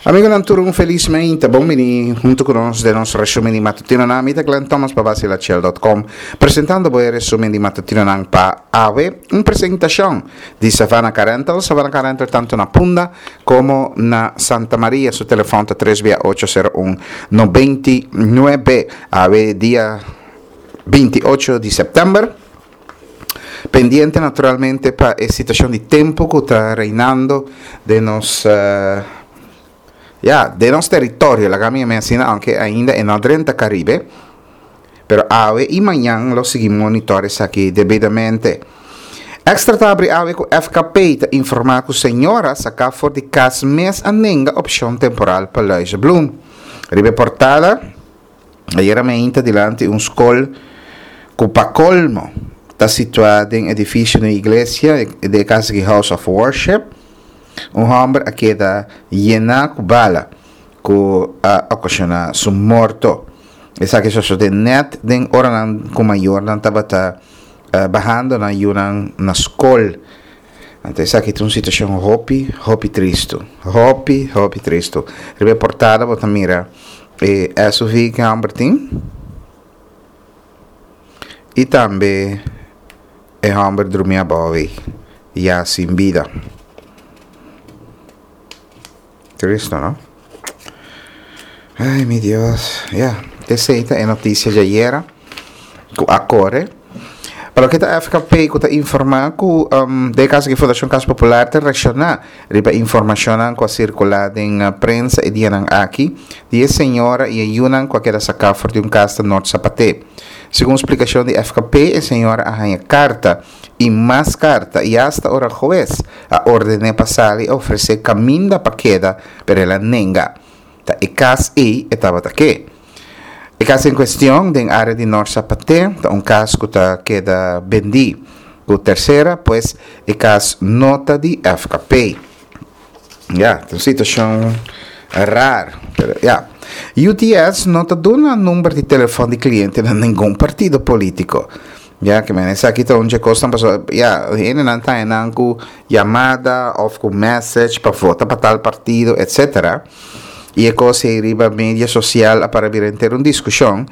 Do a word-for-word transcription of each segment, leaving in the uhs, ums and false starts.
Amigonan tur un felis meinta, bon bini hunto ku nos den nos resumen di matutinonan. Mi ta Glenn Thomas pa Basilachel dot com, presentando bo e resumen di matutinonan pa awe. Un presentacion di Savannah Car Rental. Savannah Car Rental tanto na Punda como na Santa Maria. Su telefon ta tres bia ocho sero un nobenta nuebe. Awe dia binti ocho di september. Pendiente naturalmente pa e situacion di tempo cu ta reinando den nos, eh, ya, den nos territorio, laga mi yama asina, aunke ainda e no drenta Caribe, pero awe y mañan lo sigui monitor esaki debidamente. Extra ta abri awe cu F K P ta informa cu señora saca for di cas mes a nenga opcion temporal pa Luizenbloem. Ribe portada, ayer me inta dilante un school cu pa colmo ta situa den edificio de iglesia de casa de House of Worship. Un hombre a queda llena cu bala cu a ocasiona su morto. Esa que so de net den ora nan cu mayor nan tabata, eh, bajando na yunan na school. Antes esa que una situación hopi, hopi tristo. Hopi, hopi tristo. Ribe portada bota mira, eh, S U V que hombre tin. Y también e hombre dormía bovi, ya sin vida. Tristo, ¿no? Ay, mi Dios. Ya, yeah. Esta é notícia de ayer. Ku acore. Para o que tá F K P, que tá informar que, um, de caso que Fundação Casa Popular te reaccionar, riba informação que circular em prensa e dia aqui, de senhora e ayunan que quer sacar for de um casa norte Sapate. Segundo explicação de F K P, a senhora arranha carta e mais carta e hasta ora juez a ordene passar e oferecer caminho pa queda, pero ela nenga. Ta e cas e estava ta que. E caso em questão, den área de Norte Sapate, ta um caso que ta queda vendi. O terceira, pois, e caso nota de F K P. Ya, yeah, uma situação rara, pero, ya. Yeah. U T S não tá dando número de telefone de cliente na nenhum partido político. Ya, que me essa aqui tá onde custa pessoa, ya, ele não tá em com chamada ou com message para votar para tal partido, etcétera. E é coisa aí riba mídia social para vir ter uma discussão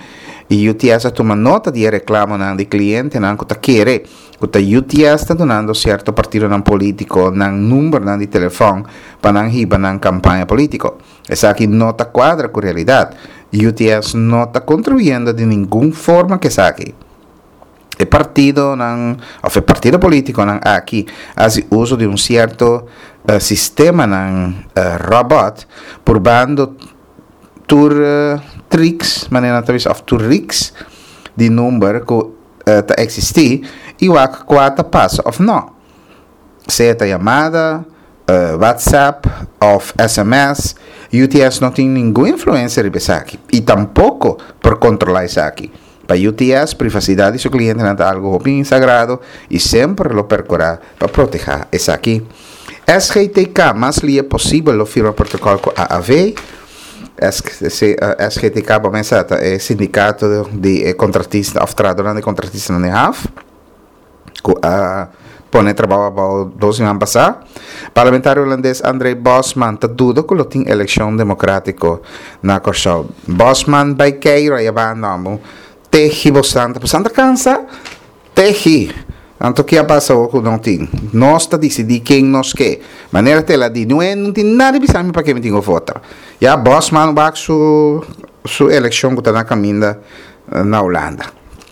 e U T S toma nota de reclamo nan de cliente nan que tá querer que tá U T S tá donando certo partido nan político nan número nan de telefone para nan hiba nan campanha político. Essa aqui não tá quadra com a realidade. U T S não tá contribuindo de nenhuma forma que essa aqui. O partido nan, ou o partido político nan aqui faz uso de um certo, uh, sistema nan, uh, robot probando tur, uh, tricks, maneira talvez of tur rigs de número que, uh, ta existir e o quatro passa of não. Se é chamada, uh, WhatsApp of S M S, U T S não tem nenhuma influência riba esaki e tampouco por controlar esaki. Para U T S, privacidade de seu cliente é algo bem sagrado e sempre lo percorrerá para proteger esaki. S G T K, mais lia possível, lo firma protocolo com A A V. S C, eh, S G T K, bom, essa é sindicato de, de contratista, of tradutor de contratista na H A F. Com a pone trabalho about doze anos passar. Parlamentário holandês André Bosman tá duda que tem eleição democrático na Corsol. Bosman vai cair aí abandonamos. Teji bastante, bastante cansa. Teji. Anto que passa o que não tem. Nós tá decidir quem nós quer. Maneira tela di, não é, não tem nada de pensar para quem tem voto. Já Bosman vai su su eleição que tá na caminho na Holanda.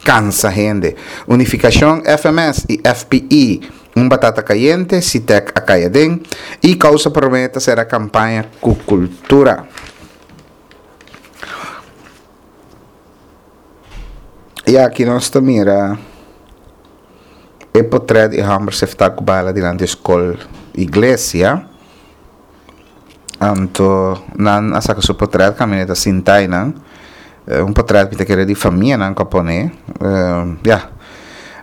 Cansa gente. Unificação F M S e F P I. Um batata caliente, Citec a Caiadem e causa prometa será campanha com cultura. E aqui nós também mira e portrait de Hammer se está com bala diante da escola igreja. Anto nan a saca su portrait caminhoneta sintai nan. Un portrait que querer de família nan capone. Uh, ya.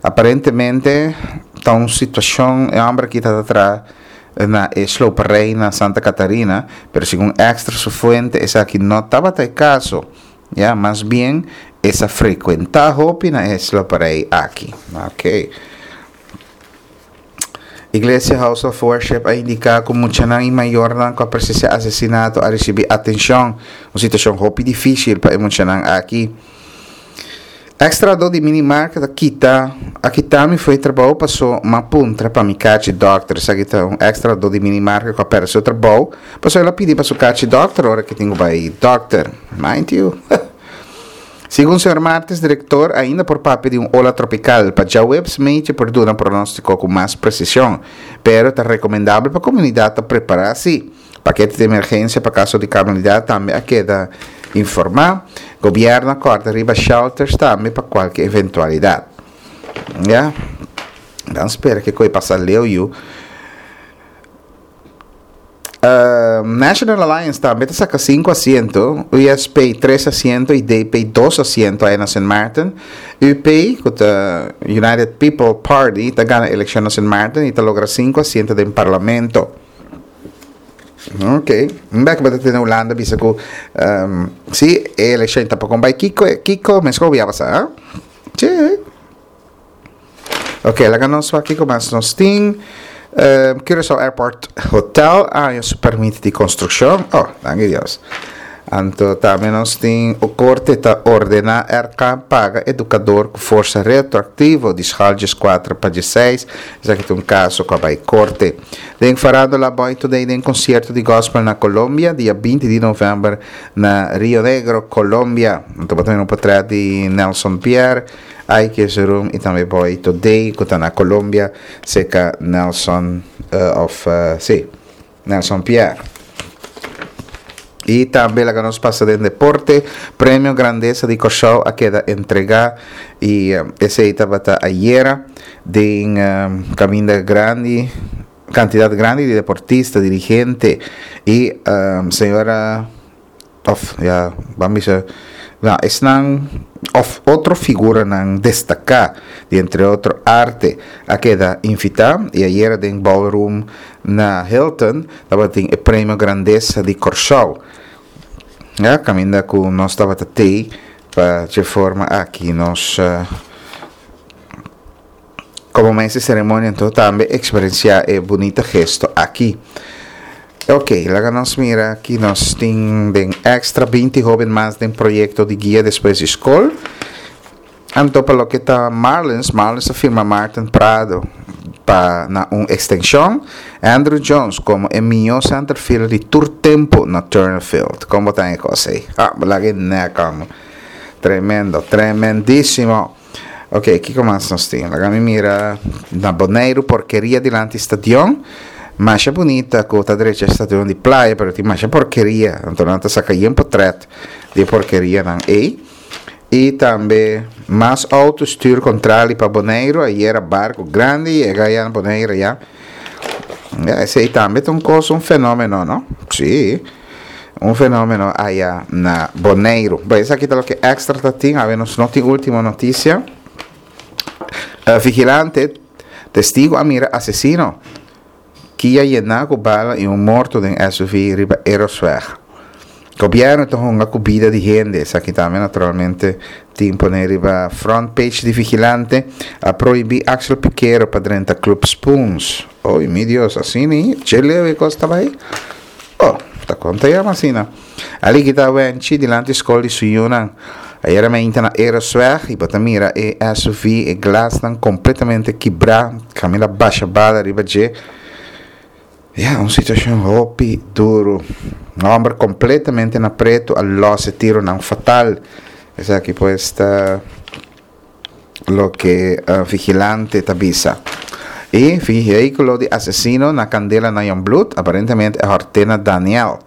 Aparentemente tá uma situação é homem que tá atrás na sloperij na Santa Catarina, pero según extra su fuente esa aquí no estaba tal caso. Ya, más bien esa frecuenta hopi na sloperij aquí. Okay. Iglesia House of Worship a indiká ku muchanan i mayornan ku a presensiá asesinato a risibí atenshon. Un situashon hopi difísil pa e muchanan aki. Eks-trahadó di minimarket a kita a kita mi fo'i trabou paso m'a puntra pa mi karchi dòkter. Esaki ta un eks-trahadó di minimarket ku a pèrdè su trabou paso el a pidi pa su karchi dòkter ora ku tin ku bai dòkter. Mind you. Segun señor Martes, direktor, ainda por papia di un ola tropikal. Pa djaweps mechi por duna pronóstiko ku mas presishon, pero ta rekomendabel pa komunidat ta prepará si. Pakete di emergensia pa kaso di kalamidat tambe a keda informá. Gobièrnu a kòrda riba shelters tambe pa kualke eventualidat. Ya, dan spera ke koe pasa leu yu. National Alliance tambe ta saka sinku asiento, U S P tres asiento i D P dos asiento aya na Sint Maarten. U P, ku ta United People Party, ta gana elekshon na Sint Maarten i ta logra sinku asiento den parlamento. Ok, un bek bo ta tene Hulanda bisa ku si e elekshon ta poko bai kiko kiko meskor bo ya pasa, ha? Sí. Ok, laga nos wak kiko mas nos tin. Curaçao Airport Hotel a haña su permit di konstrukshon. Oh, danki Dios. Anto tambe nos tin o korte ta ordená R K paga edukador ku forsa retroaktivo di skal dieskuater pa diesseis. Esaki ta un kaso ku a bai korte. Den farándula, Boy Today den konsierto di gospel na Colombia dia binti di novèmber na Rio Negro, Colombia. Anto bo ta mira un potrèt di Nelson Pierre. Aike Zeroom i tambe Boy Today ku ta na Colombia seka Nelson of si Nelson Pierre. I tambe laga nos pasa den deporte. Premio Grandesa di Kòrsou a keda entregá i esei tabata ayera den kaminda grandi kantidat grandi di deportista, dirigente i señora of ya ban bisa na esnan of otro figuranan destaká di entre otro arte a keda invitá i ayera den ballroom na Hilton tabatin e Premio Grandesa di Kòrsou. Ya kaminda ku nos tabata tei pa dje forma aki nos komo mes e seremonia anto tambe eksperensiá e bunita gesto aki. Ok, laga nos mira ki nos tin den Extra. Binti hoben mas den proyekto di guia despues di skol. Anto pa loke ta Marlins, Marlins a firma Martin Prado pa na un ekstenshon. Andruw Jones komo e mihó centerfielder di tur tempu na Turner Field. Kon bo ta e kos ei? Ah, laga e nek amo. Tremendo, tremendísimo. Ok, kiko mas nos tin? Laga mi mira na Boneiru, porkeria dilanti stadion. Masha bunita ku ta drecha stadion di Playa, pero tin masha porkeria. Anto nan ta saka yen potret di porkerianan ei. I tambe mas outo stuur kontrali pa Boneiru. Ayera barku grandi yega ya na Boneiru ya. Ya, esei tambe ta un kos, un fenómeno, no? Sí. Un fenómeno aya na Boneiru. Bon, esaki ta loke Extra ta tin. Awe nos no tin Último Notisia. Uh, vigilante, testigo a mira asesino. Kia yená ku bala i un morto den S U V riba Erosweg. Gobièrnu ta hunga ku bida di hende. Esaki tambe naturalmente tin pone riba front page di Vigilante. A prohibí Axel Piquero pa drenta Club Spoons. Oy, mi Dios, asina ni? Che leu e kos ta bai? Oh, ta konta ya asina. Ali kita wenchi dilanti skol di su yunan. Ayera mainta na Erosweg i bo ta mira e S U V, e glasnan kompletamente kibrá. Kaminda basha bala riba dje. Ja, un situashon hopi duru. Hòmber kompletamente na pretu a los e tironan fatal. Esaki pues ta loke uh, Vigilante ta bisa. E vehíkulo di asesino na kandela na Jongbloed, aparentemente e Hortena Daniel.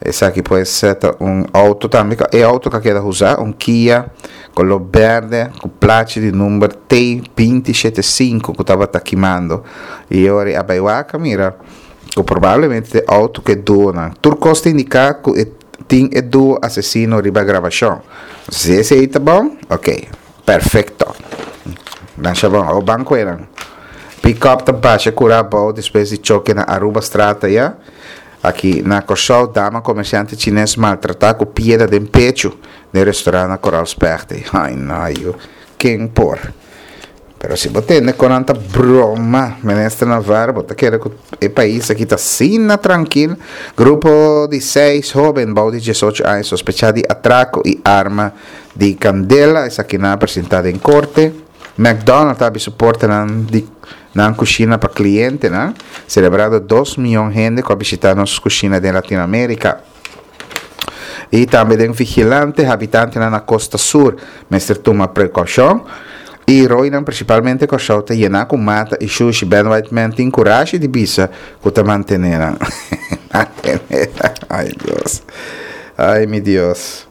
Esaki pues ta un outo tambe, e outo ku a keda usá, un Kia koló bèrdè ku plachi di number T dos sete sinku ku tabata kimando. I ora a bai wak mira ku probablemente e outo ku e duo nan. Tur kos ta indiká ku e tin e duo asesino riba grabashon. Si esei ta bon, ok, perfekto. Dan bon, o banko eran. Pick-up ta basha kura abou despues di choke na Arubastraat ya. Aki na Kòrsou, dama komersiante chines maltratá ku piedra den pechu den restorant na Coral Specht. Ai, no, yu. Ken por? Pero si bo tende kon nan ta broma, Minister Navarro, bo ta kere ku e pais aki ta asina trankil. Grupo di seis hóben bou di diesocho aña sospechá di atrako i arma di kandela, esakinan a presentá den korte. McDonald ta habri su portanan di nan kushina pa klientenan, selebrando dos mion hende ku a bishitá nos kushina den Latinoamérika. I tambe den Vigilante, habitantenan na Kosta Sur mester tuma prekoushon. I roinan, prinsipalmente Kòrsou, ta yená ku mata i shushi. Ben Whiteman tin kurashi di bisa ku ta mantené nan. Mantené nan. Ai Dios. Ai mi Dios.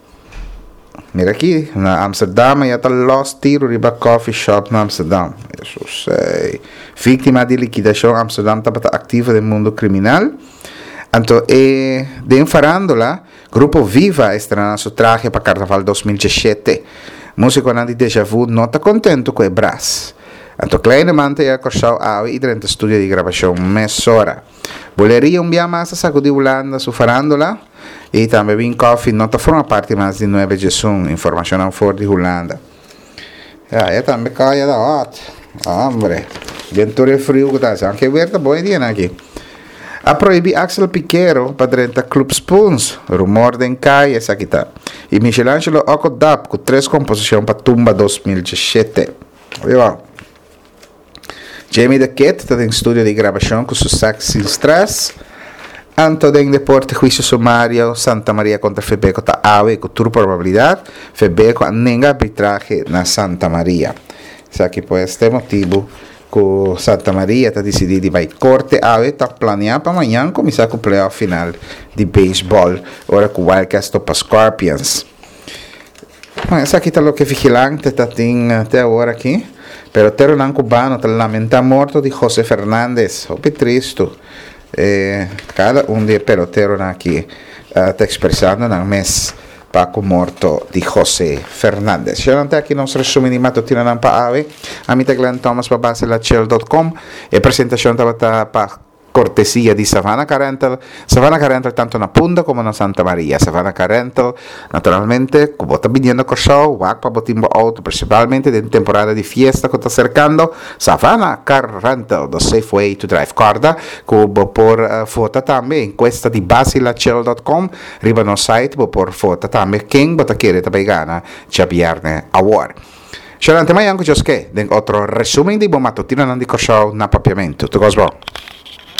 Mira aki, na Amsterdam ya ta lòs tiru riba coffee shop na Amsterdam. Hesus ei. Víktima di likidashon Amsterdam tabata aktivo den mundu kriminal. Anto e den farándula, Grupo Viva a estrená su trahe pa Karnaval dos mil diesshete. Músikonan di Deja Vu no ta kontentu ku e bras. Anto Kleineman ta yega Kòrsou awe i drenta studio di grabashon mesora. Buleria un bia mas a sakudí Hulanda su farándula i tambe Win Coffee no ta forma parti mas di Nuebe Djesun, informashonnan for di Hulanda. Ya, e tambe kaya ta hot. Hombre, den tur e friu ku ta hasi. Anke weer ta bon e dianan aki. A prohibí Axel Pikero pa drenta Club Spoons, rumor den kaya esaki ta. I Michelangelo Oko Dap ku tres komposishon pa Tumba dos mil diesshete. Oye bo. Jamie the Kid ta den studio di grabashon ku su sax sin stress. Anto den deporte huisio sumario Santa Maria kontra Febeco ta awe ku tur probabilidat Febeco a nenga arbitrahe na Santa Maria. Esaki pues ta e motibu ku Santa Maria ta disidí di bai korte awe ta planeá pa mañan kuminsá ku playoff final di beisbòl ora ku Wildcats topa Scorpions. Bueno, esaki ta loke Vigilante ta tin te awor aki. Peloteronan cubano ta lamentá morto di José Fernandez. Hopi tristu. E kada un di e peloteronan aki ta ekspresando nan mes pa ku morto di José Fernandez. Shownan te aki nos resumen di matutinonan pa awe. Ami ta Glenn Thomas pa Baselachel dot com. E presentashon tabata pa kortesia di Savannah Car Rental. Savannah Car Rental tanto na Punda komo na Santa Maria. Savannah Car Rental, naturalmente, ku bo ta biniendo Kòrsou, wak pa bo tin bo outo, prinsipalmente den temporada di fiesta ku ta serkando. Savannah Car Rental, the safe way to drive. Kòrda ku bo por vota tambe enkuesta di basilachel dot com. Riba nos site bo por vota tambe ken bo ta kere ta bay gana djabierne awor. Shalom te mayan ku Joske den otro resumen di bo matutinonan di Kòrsou na Papiamentu. Tur kos bon.